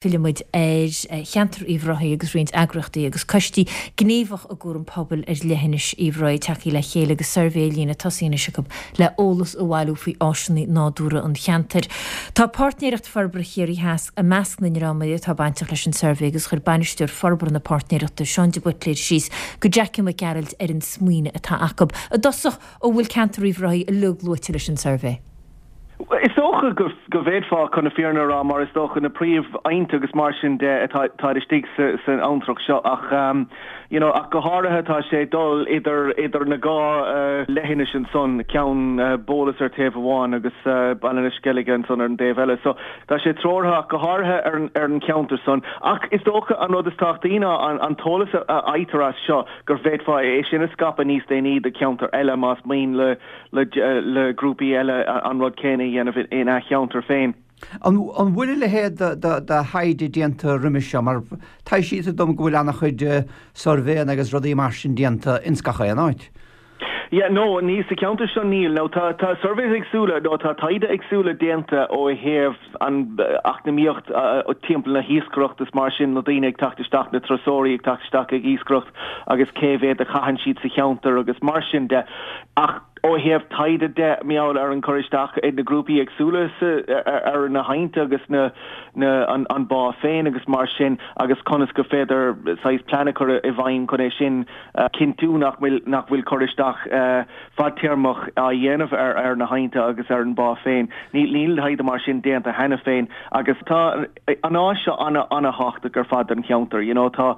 Fillfidh muid ar cheantar Uíbh Ráthaigh agus roinnt eagraíochtaí agus coistí gníomhach i gcúram pobail ar leithinis Uíbh Ráthaigh tagtha le chéile agus suirbhé ar líne tosaithe anois acu le eolas a bhailiú faoi áiseanna nádúrtha an cheantair. Tá Páirtnéireacht Forbartha Chiarraí Theas i measc na ndreamanna atá bainteach leis an suirbhé agus chuir Bainisteoir Forbartha na Páirtnéireachta, Seán de Buitléir síos go Jackie Mac Gearailt ar an smaoineamh atá acu. I dtosach, an bhfuil ceantar Uíbh Ráthaigh uilig luaite leis an suirbhé? Is dócha go bhféadfá, chun na fírinne a rá, mar is dócha na príomh-aibhnte agus mar sin de atá istigh san abhantrach seo ach you know ach go háirithe tá sé ag dul idir idir na dhá leithinis ansan, ceann Bólas ar taobh amháin agus Baile na Sceilge ansan ar an dtaobh eile. So tá sé treoraithe ach go háirithe ar an ar an cheantar san. Ach is dócha an rud is tábhachtaí ná an an t-eolas a fhaightear as seo gur bhféadfá é sin a scaipeadh níos déanaí do cheantair eile más mian le le grúpaí eile an rud céanna a dhéanamh ina cheantar féin. An bhfuil a leithéid de thaighde déanta roimis seo? Mar taibhsítear dom go bhfuil an-chuid suirbhéanna agus rudaí mar sin déanta ins gach aon áit. Yeah, no, ní sa cheantar seo níl. Now tá tá surveys éagsúla nó tá taighde éagsúla déanta ó thaobh an eacnamaíocht timpeall na hiascaireachta is mar sin, na daoine ag teacht isteach, na turasóirí ag teacht isteach ag iascaireacht agus cé mhéad a chaitheann siad sa cheantar agus mar sin de. Ach ó thaobh taighde de, mar gheall ar an cur isteach ag na grúpaí éagsúla ar na haibhnte agus na an bá féin agus mar sin agus conas gur féidir saghas plean a chur i bhfeidhm chun é sin a chinntiú nach bhfuil nach bhfuil cur isteach fadtéarmach á dhéanamh ar ar na haibhnte agus ar an bá féin. Níl níl taighde mar sin déanta cheana féin agus tá an áis seo ana ana-thábhachtach ar fad don cheantar. You know tá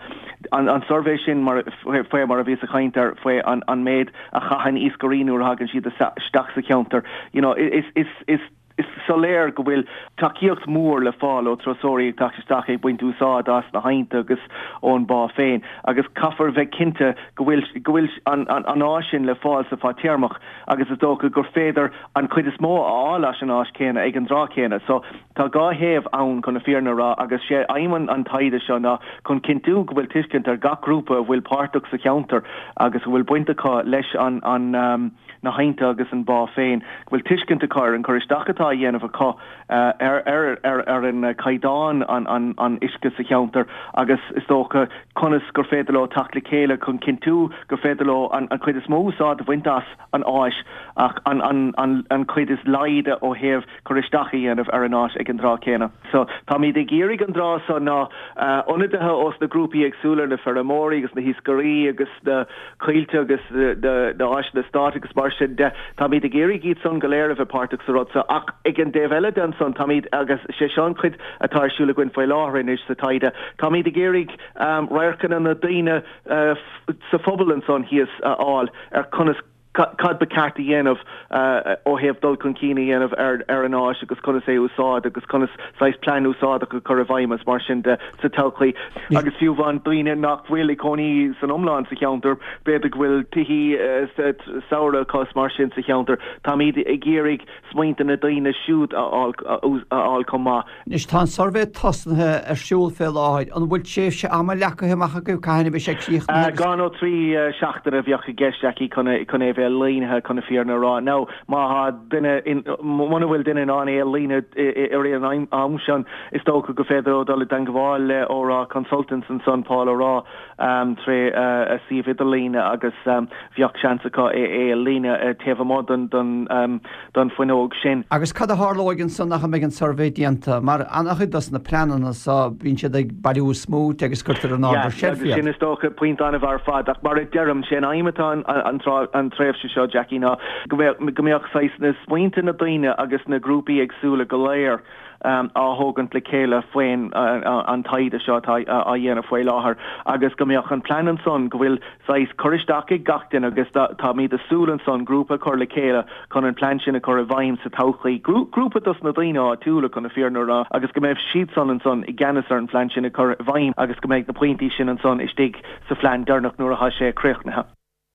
an an suirbhé sin mar faoi mar a bhíos ag caint air faoi an an méid a chaitheann iascairí nuair a thagann siad isteach sa cheantar. You know, is, is, is, is soiléir go bhfuil tacaíocht mhór le fáil ó turasóirí ag teacht isteach ag baint úsáid as na haibhnte agus ón bá féin agus caithfear bheith cinnte go bhfuil go bhfuil an an an áis sin le fáil sa fadtéarmach agus is dócha gur féidir an chuid is mó a fháil as an áis céanna ag an dtráth céanna. So Tá dhá thaobh ann chun na fírinne a rá agus sé aidhm an taighde seo ná chun cinntiú go bhfuil tuiscint ar gach grúpa a bhfuil páirteach sa cheantar agus a bhfuil baint acu leis an na haibhnte agus an bá féin, go bhfuil tuiscint acu ar an cur isteach atá á dhéanamh acu ar ar an caighdeán an uisce sa cheantar agus is dócha conas gur féidir leo teacht le chéile chun cinntiú gur féidir leo an chuid is mó úsáid a bhaint as an áis ach an chuid is laghad ó thaobh cur isteach a dhéanamh ar an áis ag an dtráth céanna. So, táimid ag iarraidh an dtráth so ná ionadaithe ós na grúpaí éagsúla, na feirmeoirí agus na hiascairí agus na coillte agus na áiseanna stáit agus mar sin de, táimid ag iarraidh iad san go léir a bheith páirteach sa rud so. Ach ag an dtaobh eile de ansan, táimid, agus sé seo an chuid atá ar siúl againn faoi láthair anois sa taighde, táimid ag iarraidh radharcanna na daoine sa phobal ansan thíos a fháil ar conas cad ba cheart a dhéanamh ó thaobh dul chun cinn a dhéanamh ar an áis agus conas é a úsáid agus conas saghas plean úsáideach a chur i bhfeidhm is mar sin de sa todhchaí. Agus fiú amháin daoine nach bhfuil ag cónaí san iomlán sa cheantar, b'fhéidir go bhfuil tithí samhraidh acu is mar sin sa cheantar, táimid ag iarraidh smaointe na daoine siúd a fháil chomh maith. Anois tá an suirbhé tosnaithe ar siúl fé láthair. An bhfuil tréimhse ama leagtha amach agaibh cathain a bheidh sé críochnaithe agus. Dhá nó trí seachtaine a bheadh i gceist, Jackie, chun é a bheith líontha, chun na fírinne a rá. Now, má tá duine, muna bhfuil duine in ann é a líonadh i rith an am sin, is dócha gur féidir leo dul i dteangmháil le Ó Rath Consultants ansan, Paul Ó Rath, tré a suíomh idirlíne agus bheadh seans acu é a líonadh taobh amuigh den don fuinneog sin. Agus cad a tharlóidh ansan ach a mbeidh an suirbhé déanta? Mar an-chuid dos na pleananna so, bíonn siad ag bailiú smaointe agus cuirtear in ord ar Yeah, seilf iad. sin is dócha pointe an-mhaith ar fad ach mar a deirim, sé an aidhm atá an an tréimhse seo, Jackie, ná go mbeadh go mbeadh saghas na smaointe na daoine agus na grúpaí éagsúla go léir á thógaint le chéile faoin an taighde seo atá á dhéanamh faoi láthair agus go mbeadh an plean ansan go bhfuil saghas cur isteach ag gach duine agus táimid ag súil ansan grúpa a chur le chéile chun an plean sin a chur i bhfeidhm sa todhchaí. Grúpa dos na daoine áitiúla chun na fírinne a rá agus go mbeidh siadsan ansan i gceannas ar an phlean sin a chur i bhfeidhm agus go mbeidh na pointí sin ansan istigh sa phlean deireanach nuair atá sé críochnaithe.